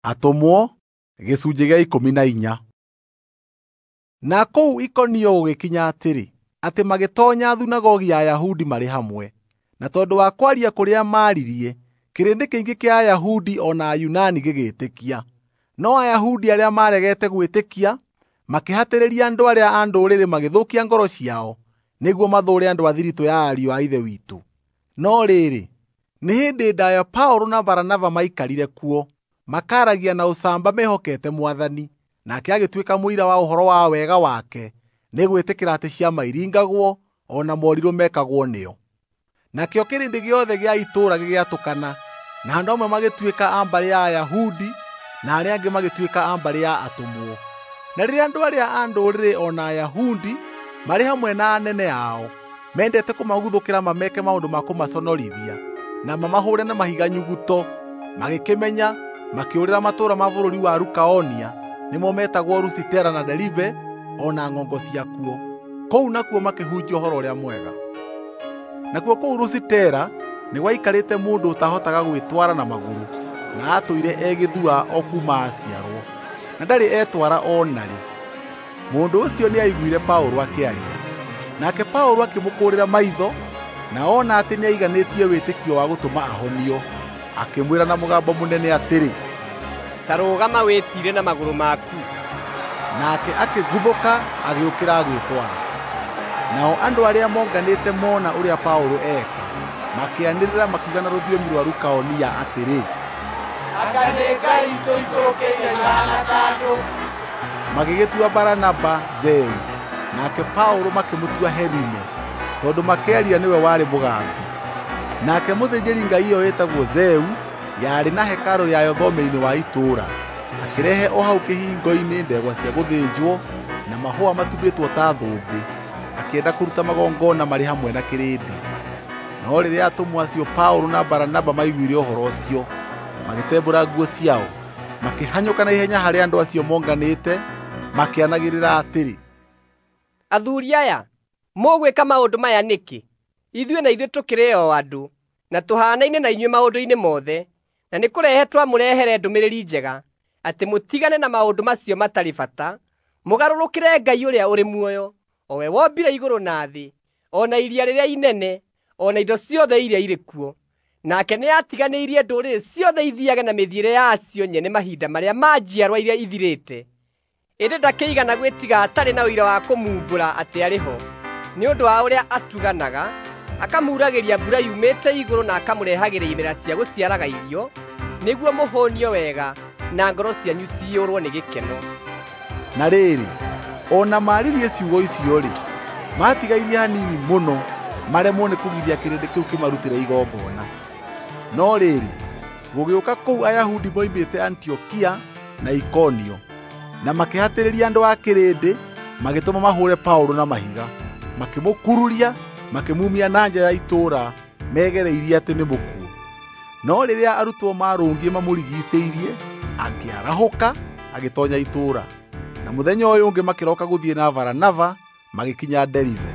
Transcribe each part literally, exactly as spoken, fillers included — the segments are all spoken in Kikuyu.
Atũmwo gĩcunjĩ gĩa ikũmi na inya. Na kũu Ikonio gũgĩkinya atĩrĩ, atĩ magĩtoonya thunagogi ya Ayahudi marĩ hamwe, na tondũ wa kwaria kũrĩa maaririe, kĩrĩndĩ kĩingĩ kĩa Ayahudi o na Ayunani gĩgĩĩtĩkia. No Ayahudi arĩa maaregete gwĩtĩkia makĩhatĩrĩria andũ arĩa a Ndũrĩrĩ magĩthũkia ngoro ciao nĩguo mathũũre andũ a thiritũ ya ariũ a Ithe witũ. No rĩrĩ, nĩ hĩndĩ ndaaya Paũlũ na Baranaba maikarire kuo, makaragia na ũcamba mehokete Mwathani, nake agĩtuĩka mũira wa ũhoro wa wega wake nĩ gwĩtĩkĩra atĩ ciama iringagwo o na morirũ mekagwo nĩo. Nakĩo kĩrĩndĩ gĩothe gĩa itũũra gĩgĩatũkana, na andũ amwe magĩtuĩka a mbarĩ ya Ayahudi na arĩa angĩ magĩtuĩka a mbarĩ ya atũmwo. Na rĩrĩa andũ arĩa a Ndũrĩrĩ o na Ayahudi marĩ hamwe na anene ao mendete kũmaguthũkĩra mameke maũndũ ma kũmaconorithia na mamahũre na mahiga nyuguto, magĩkĩmenya makĩũrĩra matũũra ma bũrũri wa Lukaonia, nĩmo metagwo Lusitera na Deribe o na ng'ongo ciakuo. Kũu nakuo makĩhunjia ũhoro ũrĩa mwega. Nakuo kũu Lusitera nĩ gwaikarĩte mũndũ ũtahotaga gwĩtwara na magũrũ, na atũire e gĩthua o kuuma aciarwo, na ndarĩ etwara o narĩ. Mũndũ ũcio nĩaiguire Paũlũ akĩaria, nake Paũlũ akĩmũkũũrĩra maitho, na ona atĩ nĩaiganĩtie wĩtĩkio wa gũtũma ahonio, akĩmwĩra na mũgambo mũnene atĩrĩ, "Ta rũgama wĩtiire na magũrũ maku." Nake akĩguthũka agĩũkĩra agĩĩtwara. Nao andũ arĩa monganĩte mona ũrĩa Paũlũ eka, makĩanĩrĩra makiuga na rũthiomi rwa Lukaonia atĩrĩ, "Anga nĩ ngai itũikũrũkĩire ihaana ta andũ." Magĩgĩtua Baranaba Zeu, nake Paũlũ makĩmũtua Herime, tondũ makĩaria nĩwe warĩ mũgambi. Nake mũthĩnjĩri-ngai ũyũ wĩtagwo Zeu yarĩ na hekarũ yayo thome-inĩ wa itũũra, akĩrehe o hau kĩhingo-inĩ ndegwa cia gũthĩnjwo na mahũa matumĩtwo ta thũmbĩ, akĩenda kũruta magongona marĩ hamwe na kĩrĩndĩ. No rĩrĩa atũmwo acio Paũlũ na Baranaba maiguire ũhoro ũcio, magĩtembũra nguo ciao, makĩhanyũka na ihenya harĩ andũ acio monganĩte, makĩanagĩrĩra atĩrĩ, "Athuri aya, mũgwĩka maũndũ maya nĩkĩ? Ithuĩ na ithuĩ tũkĩrĩ o andũ, na tũhaanaine na inyuĩ maũndũ-inĩ mothe, na nĩ kũrehe twamũrehere ndũmĩrĩri njega, atĩ mũtigane na maũndũ macio matarĩ bata, mũgarũrũkĩre Ngai ũrĩa ũrĩ muoyo, o we wombire igũrũ na thĩ, o na iria rĩrĩa inene, o na indo ciothe iria irĩ kuo. Nake nĩatiganĩirie ndũrĩrĩ ciothe ithiage na mĩthiĩre yacio nyene mahinda marĩa ma njiarwa iria ithirĩte. Ĩndĩ ndakĩigana gwĩtiga atarĩ na ũira wa kũmumbũra atĩ arĩ ho, nĩ ũndũ wa ũrĩa atuganaga, akamuragĩria mbura yumĩte igũrũ na akamũrehagĩra imera cia gũciaraga irio, nĩguo mũhũnio wega na ngoro cianyu ciyũrwo nĩ gĩkeno." Na rĩrĩ, o na maaririe ciugo icio-rĩ, maatigairie hanini mũno maremwo nĩ kũgiria kĩrĩndĩ kĩu kĩmarutĩre igongona. No rĩrĩ, gũgĩũka kũu Ayahudi moimĩte Antiokia na Ikonio, na makĩhatĩrĩria andũ a kĩrĩndĩ, magĩtũma mahũre Paũlũ na mahiga, makĩmũkururia, makĩmumia na nja ya itũũra megereirie atĩ nĩ mũkuũ. No rĩrĩa arutwo maarũngiĩ mamũrigiicĩirie, akĩarahũka agĩtoonya itũũra. Na mũthenya ũyũ ũngĩ makĩroka gũthiĩ na Baranaba magĩkinya Deribe.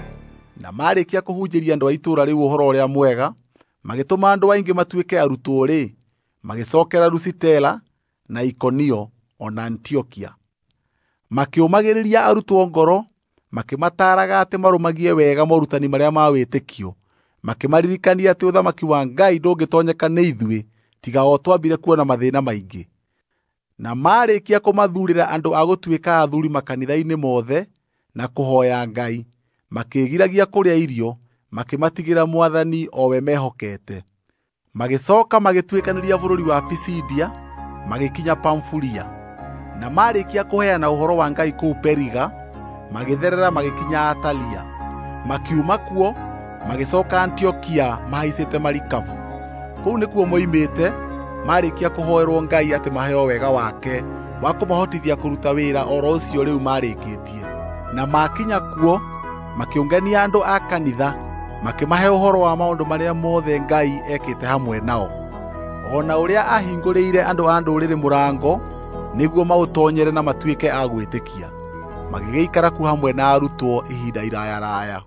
Na maarĩkia kũhunjĩria andũ a itũũra rĩu ũhoro ũrĩa mwega, magĩtũma andũ aingĩ matuĩke arutwo-rĩ, magĩcookera Lusitera na Ikonio o na Antiokia. Makĩũmagĩrĩria arutwo ngoro, makĩmataaraga atĩ marũmagie wega morutani marĩa ma wĩtĩkio, makĩmaririkania atĩ ũthamaki wa Ngai ndũngĩtoonyeka nĩ ithuĩ tiga o twambire kuona mathĩna maingĩ. Na maarĩkia kũmathuurĩra andũ a gũtuĩka athuuri makanitha-inĩ mothe na kũhooya Ngai, makĩĩgiragia kũrĩa irio, makĩmatigĩra Mwathani o we mehokete. Magĩcooka magĩtuĩkanĩria bũrũri wa Pisidia, magĩkinya Pamfulia. Na maarĩkia kũheana ũhoro wa Ngai kũu Periga, magĩtherera magĩkinya Atalia. Makiuma kuo, magĩcooka Antiokia mahaicĩte marikabu. Kũu nĩkuo moimĩte, maarĩkia kũhoerwo Ngai atĩ maheo wega wake wa kũmahotithia kũruta wĩra oro ũcio rĩu maarĩkĩtie. Na maakinya kuo, makĩũngania andũ a kanitha, makĩmahe ũhoro wa maũndũ marĩa mothe Ngai ekĩte hamwe nao, o na ũrĩa ahingũrĩire andũ a Ndũrĩrĩ mũrango nĩguo maũtoonyere na matuĩke a gwĩtĩkia. Magĩgĩikara kuo hamwe na arutwo ihinda iraya raya.